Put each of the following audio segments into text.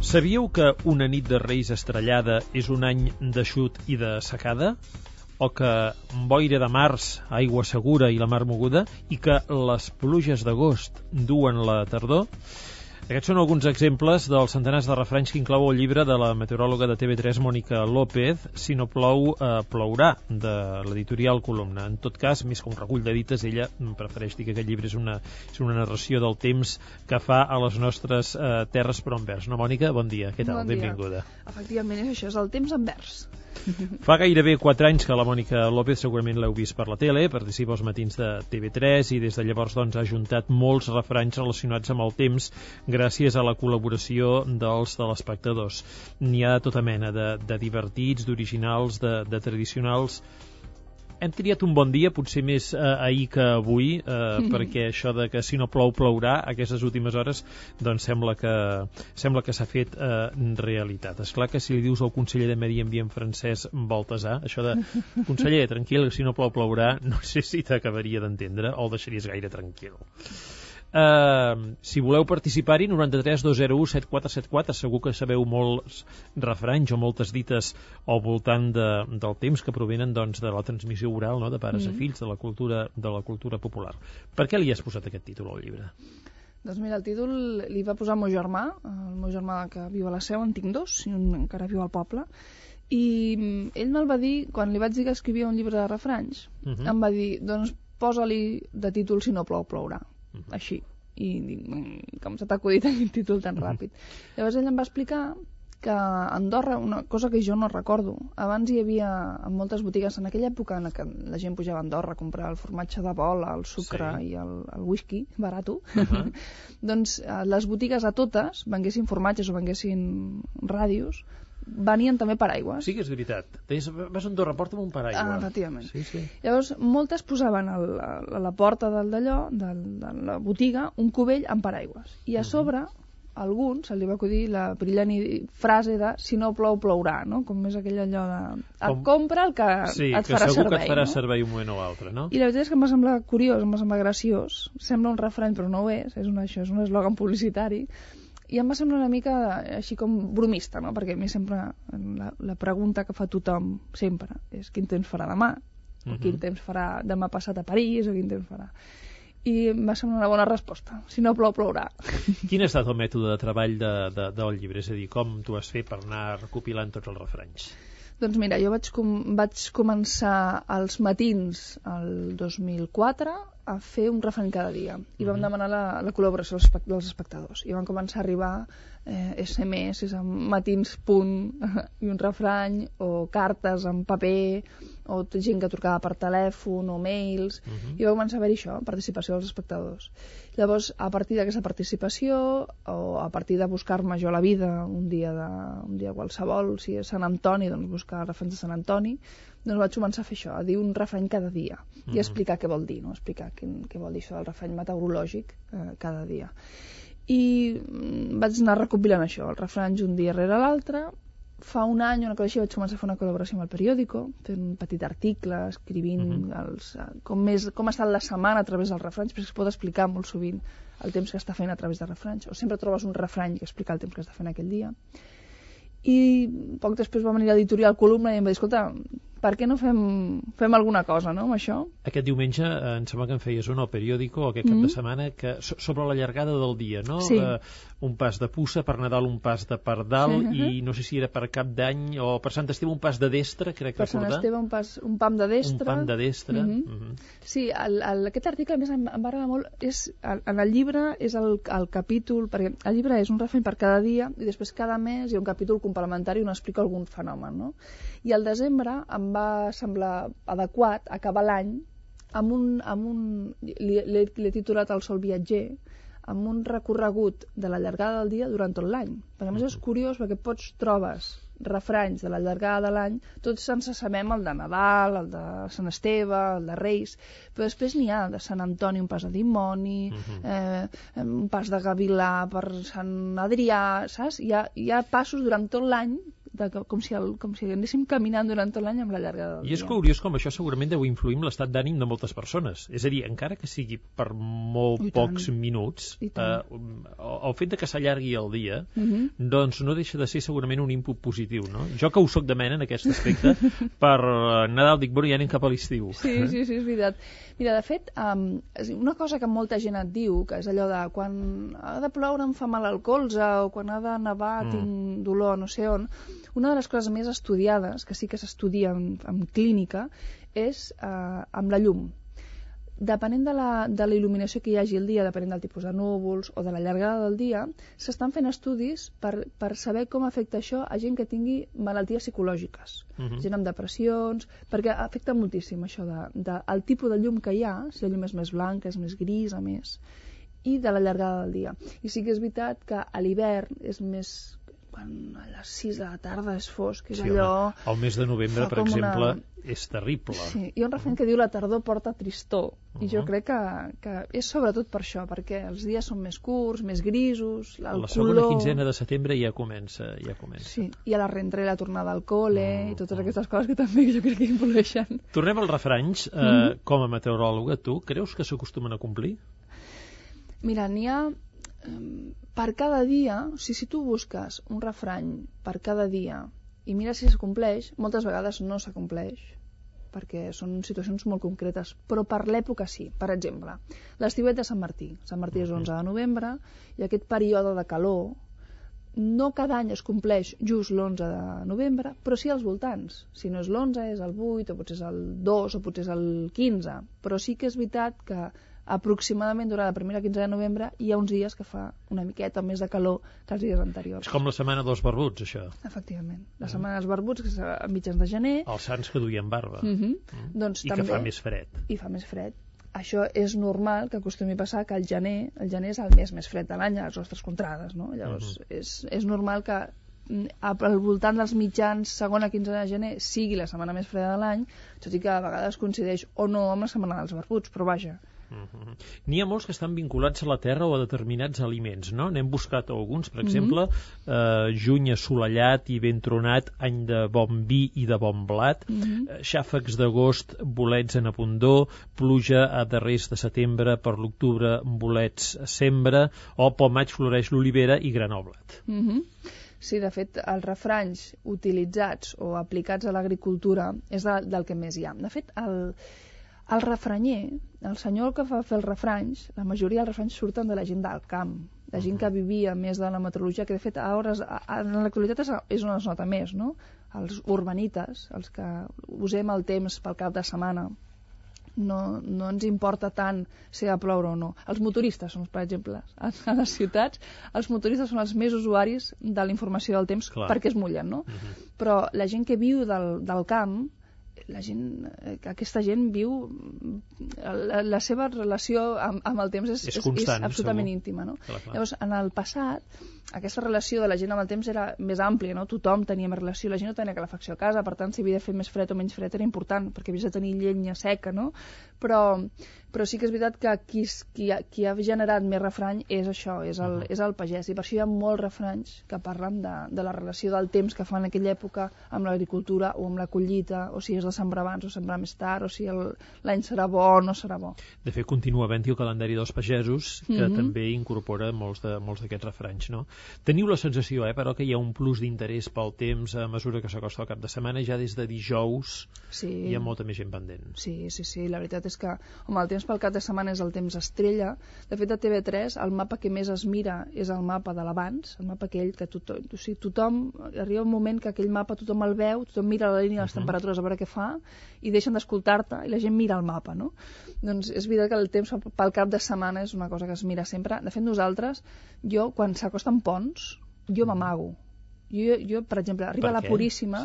Sabíeu que una nit de Reis estrellada és un any d'eixut i de secada? O que boira de març, aigua segura i la mar moguda? I que les pluges d'agost duen la tardor? Aquests són alguns exemples dels centenars de refranys que inclou el llibre de la meteoròloga de TV3 Mònica López, Si no plou, plourà, de l'editorial Columna. En tot cas, més que un recull de dites, ella prefereix dir que aquest llibre és una narració del temps que fa a les nostres terres però en vers. No, Mònica? Bon dia. Què tal? Bon dia. Benvinguda. Efectivament, és això, és el temps en vers. Fa gairebé 4 anys que la Mònica López, segurament l'heu vist per la tele, participa als matins de TV3 i des de llavors ha juntat molts refranys relacionats amb el temps gràcies a la col·laboració dels telespectadors. N'hi ha de tota mena, de divertits, d'originals, de tradicionals. Hem triat un bon dia, potser més ahir que avui, perquè això de que si no plou, plourà, aquestes últimes hores, doncs sembla que s'ha fet realitat. És clar que si li dius al conseller de Medi Ambient francès Baltasar, això de conseller, tranquil, si no plou, plourà, no sé si t'acabaria d'entendre o el deixaries gaire tranquil. Si voleu participar-hi, 93 201 7474, segur que sabeu molts refranys o moltes dites al voltant del temps que provenen doncs, de la transmissió oral, no? De pares a fills, de la cultura popular. Per què li has posat aquest títol al llibre? Doncs mira, el títol li va posar el meu germà que viu a la Seu, en tinc dos, i un encara viu al poble, i ell me'l va dir, quan li vaig dir que escrivia un llibre de refranys, em va dir, doncs posa-li de títol Si no plou, plourà. Així, i com s'ha acudit aquest títol tan ràpid. Llavors ell em va explicar que a Andorra, una cosa que jo no recordo, abans hi havia en moltes botigues, en aquella època en què la gent pujava a Andorra a comprar el formatge de bola, el sucre i el whisky barato, doncs les botigues a totes, venguessin formatges o venguessin ràdios, venien també paraigües. Sí que és veritat. Vas a Andorra, porta'm un paraigua. Efectivament. Sí. Llavors, moltes posaven a la porta de la botiga, un cubell amb paraigües. I a sobre, a algun se li va acudir la brillant frase de si no plou, plourà, no? Com és aquell allò de compra el que et farà servei. Sí, que segur que et farà servei un moment o altre, no? I la veritat és que em va semblar curiós, em va semblar graciós. Sembla un refrany, però no ho és. És un eslògan publicitari. I em va semblar una mica així com bromista, no? Perquè a mi sempre la pregunta que fa tothom sempre és quin temps farà demà, o quin temps farà demà passat a París, o quin temps farà. I em va semblar una bona resposta. Si no plou, plourà. Quin ha estat el mètode de treball del llibre? És a dir, com t'ho has fet per anar recopilant tots els refranys? Doncs mira, jo vaig començar als matins el 2004 a fer un refrany cada dia i vam demanar la col·laboració dels espectadors i van començar a arribar SMS amb matins punt i un refrany o cartes en paper o gent que trucava per telèfon o mails i va començar a haver-hi això, participació dels espectadors. Llavors, a partir d'aquesta participació o a partir de buscar-me jo la vida un dia qualsevol, si és Sant Antoni, doncs buscar refranys de Sant Antoni, doncs vaig començar a fer això, a dir un refrany cada dia i explicar què vol dir, no? Explicar què vol dir això del refrany meteorològic cada dia. I vaig anar recopilant això, els refranys un dia rere l'altre. Fa un any, una cosa així, vaig començar a fer una col·laboració amb el periòdico, fent un petit article, escrivint com ha estat la setmana a través dels refranys, perquè es pot explicar molt sovint el temps que està fent a través de refranys, o sempre trobes un refrany que explica el temps que està fent aquell dia. I poc després va venir l'editorial Columna i em va dir, escolta, per què no fem alguna cosa, no, amb això? Aquest diumenge em sembla que en feies un al periòdico aquest cap de setmana sobre la llargada del dia, no? Sí. Un pas de puça, per Nadal un pas de pardal i no sé si era per Cap d'Any o per Sant Esteve un pas de destre, crec recordar. Per Sant Esteve un pam de destre. Un pam de destre. Sí, aquest article a més em va agradar molt, en el llibre és el capítol, perquè el llibre és un refrany per cada dia i després cada mes hi ha un capítol complementari on explica algun fenomen, no? I al desembre em va semblar adequat acabar l'any l'he titulat El sol viatger, amb un recorregut de la llargada del dia durant tot l'any. Perquè a més és curiós perquè trobes refranys de la llargada de l'any, tots ens sabem el de Nadal, el de Sant Esteve, el de Reis, però després n'hi ha de Sant Antoni, un pas de dimoni, un pas de gavilà per Sant Adrià, saps? Hi ha passos durant tot l'any com si anéssim caminant durant tot l'any amb la llargada del dia. I és curiós com això segurament deu influir en l'estat d'ànim de moltes persones. És a dir, encara que sigui per molt pocs minuts, el fet de que s'allargui el dia, doncs no deixa de ser segurament un input positiu, no? Jo que ho soc de mena en aquest aspecte, per Nadal dic, bueno, ja anem cap a l'estiu. Sí, és veritat. Mira, de fet, una cosa que molta gent et diu, que és allò de quan ha de ploure em fa mal al colze o quan ha de nevar tinc dolor no sé on, una de les coses més estudiades, que sí que s'estudia en clínica, és amb la llum. Depenent de la il·luminació que hi hagi el dia, depenent del tipus de núvols o de la llargada del dia, s'estan fent estudis per saber com afecta això a gent que tingui malalties psicològiques, gent amb depressions, perquè afecta moltíssim això del tipus de llum que hi ha, si la llum és més blanca, és més grisa, i de la llargada del dia. I sí que és veritat que a l'hivern és més... quan a les 6 de la tarda és fosc, és allò... El mes de novembre, per exemple, és terrible. Sí, hi ha un refrany que diu la tardor porta tristor, i jo crec que és sobretot per això, perquè els dies són més curts, més grisos, el color... La segona quinzena de setembre ja comença. Sí, i a la rentrée la tornada al col·le, i totes aquestes coses que també jo crec que influeixen. Tornem als refranys. Com a meteoròloga, tu creus que s'acostumen a complir? Mira, n'hi ha... per cada dia, o sigui, si tu busques un refrany per cada dia i mires si s'acompleix, moltes vegades no s'acompleix, perquè són situacions molt concretes, però per l'època sí. Per exemple, l'estiuet de Sant Martí. Sant Martí és l'11 de novembre, i aquest període de calor no cada any es compleix just l'11 de novembre, però sí als voltants. Si no és l'11, és el 8, o potser és el 2, o potser és el 15. Però sí que és veritat que aproximadament durant la primera quinzena de novembre hi ha uns dies que fa una miqueta més de calor que els dies anteriors. És com la setmana dels barbuts, això. Efectivament. La setmana dels barbuts, que és a mitjans de gener. Els sants que duien barba. Doncs I també, que fa més fred. I fa més fred. Això és normal que acostumi a passar que el gener és el mes més fred de l'any a les nostres contrades, no? Llavors és normal que al voltant dels mitjans segona quinzena de gener sigui la setmana més freda de l'any, tot i que a vegades coincideix o no amb la setmana dels barbuts, però vaja. N'hi ha molts que estan vinculats a la terra o a determinats aliments, no? N'hem buscat alguns, per exemple, juny assolellat i ben tronat, any de bon vi i de bon blat, xàfecs d'agost, bolets en abundor, pluja a darrers de setembre, per l'octubre, bolets a sembra, o pel maig floreix l'olivera i granar o blat. Sí, de fet, els refranys utilitzats o aplicats a l'agricultura és del que més hi ha. De fet, el refranyer, el senyor que fa fer els refranys, la majoria dels refranys surten de la gent del camp, de gent que vivia més de la meteorologia, que de fet en l'actualitat és on es nota més, no? Els urbanites, els que usem el temps pel cap de setmana, no ens importa tant si ha de ploure o no. Els motoristes són, per exemple, a les ciutats, els motoristes són els més usuaris de la informació del temps perquè es mullen, no? Però la gent que viu del camp, aquesta gent viu, la seva relació amb el temps és constant, absolutament segur. Íntima, no? Clar. Llavors, en el passat, aquesta relació de la gent amb el temps era més àmplia, no? Tothom tenia més relació, la gent no tenia calefacció a casa, per tant, si havia de fer més fred o menys fred era important, perquè havies de tenir llenya seca, no? Però sí que és veritat que qui ha generat més refrany és això, és el pagès, i per això hi ha molts refranys que parlen de la relació del temps que fa en aquella època amb l'agricultura o amb la collita, o si és de sembrar abans o sembrar més tard, o si l'any serà bo o no serà bo. De fet, continua havent-hi el calendari dels pagesos, que també incorpora molts d'aquests refranys, no? Teniu la sensació, però, que hi ha un plus d'interès pel temps a mesura que s'acosta el cap de setmana, ja des de dijous hi ha molta més gent pendent. Sí, la veritat és que, home, el temps pel cap de setmana és el temps estrella. De fet, a TV3 el mapa que més es mira és el mapa de l'abans, el mapa aquell que tothom arriba un moment que aquell mapa tothom el veu, tothom mira la línia de les temperatures a veure què fa, i deixen d'escoltar-te i la gent mira el mapa, no? Doncs és veritat que el temps pel cap de setmana és una cosa que es mira sempre. De fet, nosaltres, quan s'acosten ponts, jo m'amago. Jo, per exemple, arriba la Puríssima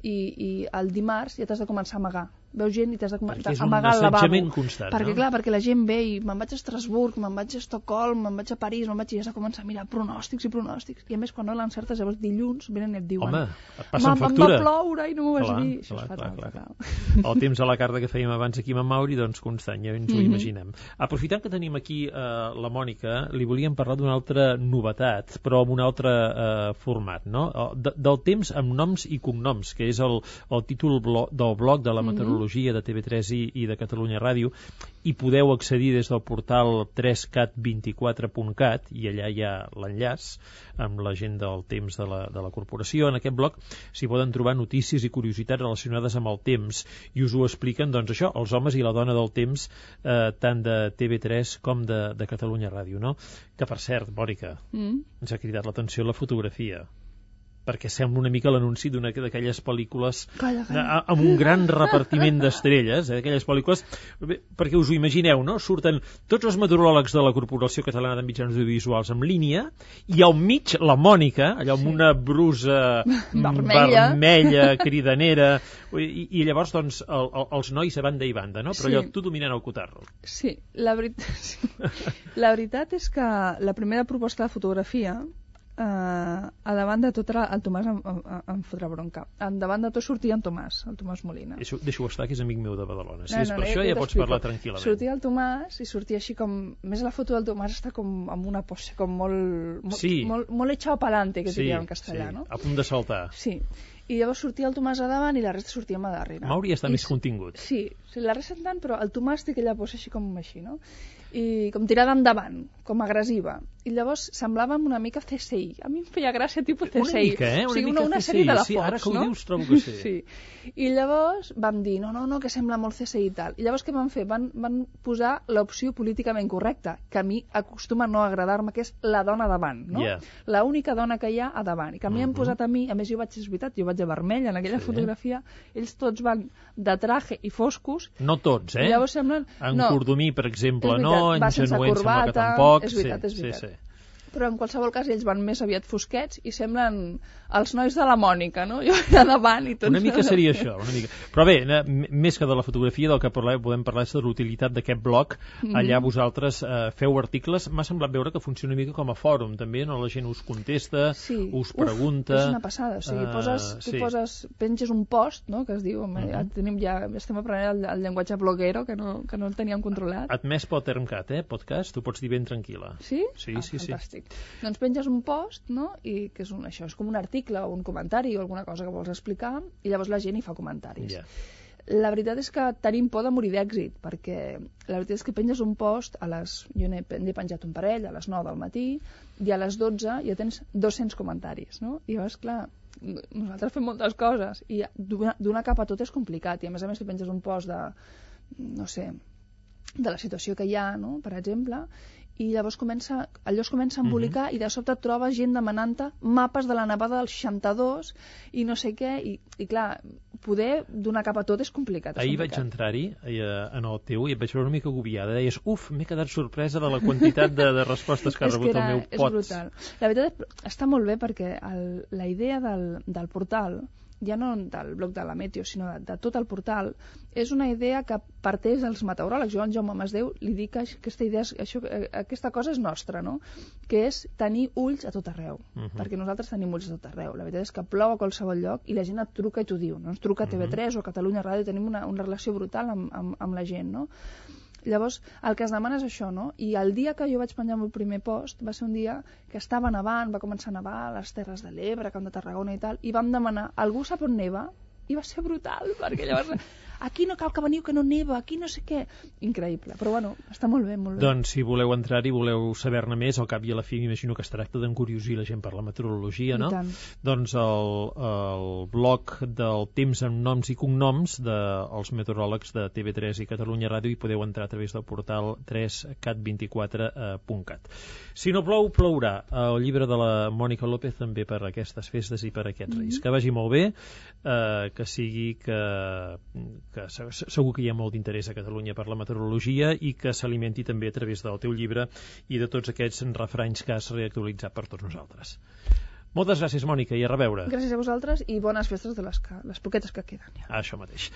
i el dimarts ja t'has de començar a amagar, veus gent i t'has d'amagar al lavabo. Perquè és un assetjament constant, perquè, no? clar, perquè la gent ve i me'n vaig a Estrasburg, me'n vaig a Estocolm, me'n vaig a París, i has de començar a mirar pronòstics. I a més, quan no l'encertes, llavors dilluns venen i et diuen... Home, et passen factura. Em va ploure i no m'ho vas dir. Això és fatal. El temps a la carta que fèiem abans aquí amb en Mauri, doncs constant, ja ens ho imaginem. Aprofitant que tenim aquí la Mònica, li volíem parlar d'una altra novetat, però amb un altre format, no? Del temps amb noms i cognoms, que és el títol del blog de la meteorologia de TV3 i de Catalunya Ràdio, i podeu accedir des del portal 3cat24.cat, i allà hi ha l'enllaç amb la gent del temps de la corporació. En aquest blog s'hi poden trobar notícies i curiositats relacionades amb el temps, i us ho expliquen, doncs això, els homes i la dona del temps, tant de TV3 com de Catalunya Ràdio, no? Que, per cert, Mònica, ens ha cridat l'atenció la fotografia, perquè sembla una mica l'anunci d'una d'aquelles pel·lícules amb un gran repartiment d'estrelles, d'aquelles pel·lícules, perquè us ho imagineu, no? Surten tots els meteoròlegs de la Corporació Catalana de Mitjans Audiovisuals en línia, i al mig la Mònica, allò amb una brusa vermella, cridanera, i llavors doncs els nois a banda i banda, no? Però allò, tu dominant el cotarro. Sí, la veritat és que la primera proposta de fotografia, a davant de tot el Tomàs em fotrà bronca. Davant de tot sortia el Tomàs Molina. Deixo estar, que és amic meu de Badalona. Si és per això ja pots parlar tranquil·lament. Sortia el Tomàs i sortia així com... Més la foto del Tomàs està com amb una pose com molt echado pa'lante, que diria en castellà, no? A punt de saltar. Sí. I llavors sortia el Tomàs a davant i la resta sortíem a darrere. Mauri està més contingut. Sí, la resta tant, però el Tomàs té aquella pose així com així, no? I com tirada endavant, com agressiva. I llavors semblàvem una mica CSI. A mi em feia gràcia tipus CSI. Una mica, una sèrie de la Fox, sí, ara que ho dius trobo que sí. I llavors vam dir, no, que sembla molt CSI i tal. I llavors què van fer? Van posar l'opció políticament correcta, que a mi acostuma a no agradar-me, que és la dona davant, no? La única dona que hi ha a davant. I que a mi han posat a mi, a més és veritat, jo vaig de vermell en aquella fotografia, ells tots van de traje i foscos. No tots, eh? Llavors semblen... En Cordomí, per exemple, no? Va sense corbata, tampoc. És veritat. Però en qualsevol cas ells van més aviat fosquets i semblen els nois de la Mònica, no? Jo allà davant i tots... Una mica seria això, una mica. Però bé, més que de la fotografia, del que podem parlar és de l'utilitat d'aquest blog. Allà vosaltres feu articles. M'ha semblat veure que funciona una mica com a fòrum, també, no? La gent us contesta, us pregunta... És una passada, o sigui, penges un post, no?, que es diu, ja estem aprenent el llenguatge bloguero, que no el teníem controlat. Admès pel Termcat, podcast, ho pots dir ben tranquil·la. Sí? Sí. Fantàstic. Doncs penges un post, no?, i que és com un article o un comentari o alguna cosa que vols explicar, i llavors la gent hi fa comentaris. La veritat és que tenim por de morir d'èxit, perquè la veritat és que penges un post jo n'he penjat un parell a les 9 del matí, i a les 12 ja tens 200 comentaris, no? I llavors, clar, nosaltres fem moltes coses, i d'una capa a tot és complicat, i a més tu penges un post de, no sé, de la situació que hi ha, no?, per exemple, i llavors allò es comença a embolicar i de sobte trobes gent demanant-te mapes de la nevada del 62 i no sé què, i clar, poder donar cap a tot és complicat. Ahir vaig entrar-hi en el teu i et vaig veure una mica agobiada. Deies, m'he quedat sorpresa de la quantitat de respostes que ha rebut el meu pot. És brutal. La veritat està molt bé perquè la idea del portal, ja no del blog de la Meteo, sinó de tot el portal, és una idea que parteix dels meteoròlegs. Jo, al Jaume Masdeu, li dic que aquesta cosa és nostra, no?, que és tenir ulls a tot arreu, perquè nosaltres tenim ulls a tot arreu. La veritat és que plou a qualsevol lloc i la gent et truca i t'ho diu, no? Ens truca TV3 o Catalunya Ràdio, tenim una relació brutal amb la gent, no? Llavors, el que es demana és això, no? I el dia que jo vaig penjar el meu primer post va ser un dia que estava nevant, va començar a nevar a les Terres de l'Ebre, Camp de Tarragona i tal, i vam demanar, algú sap on neva? I va ser brutal, perquè llavors aquí no cal que veniu, que no neva, aquí no sé què. Increïble, però bueno, està molt bé, molt bé. Doncs si voleu entrar-hi, voleu saber-ne més, al cap i a la fi m'imagino que es tracta d'encuriosir la gent per la meteorologia, no? I tant. Doncs el blog del temps amb noms i cognoms dels meteoròlegs de TV3 i Catalunya Ràdio, hi podeu entrar a través del portal 3cat24.cat. Si no plou, plourà. El llibre de la Mònica López també per aquestes festes i per aquests reis. Que vagi molt bé, que sigui que segur que hi ha molt d'interès a Catalunya per la meteorologia i que s'alimenti també a través del teu llibre i de tots aquests refranys que has reactualitzat per tots nosaltres. Moltes gràcies, Mònica, i a reveure. Gràcies a vosaltres i bones festes de les poquetes que queden. Ja. Això mateix.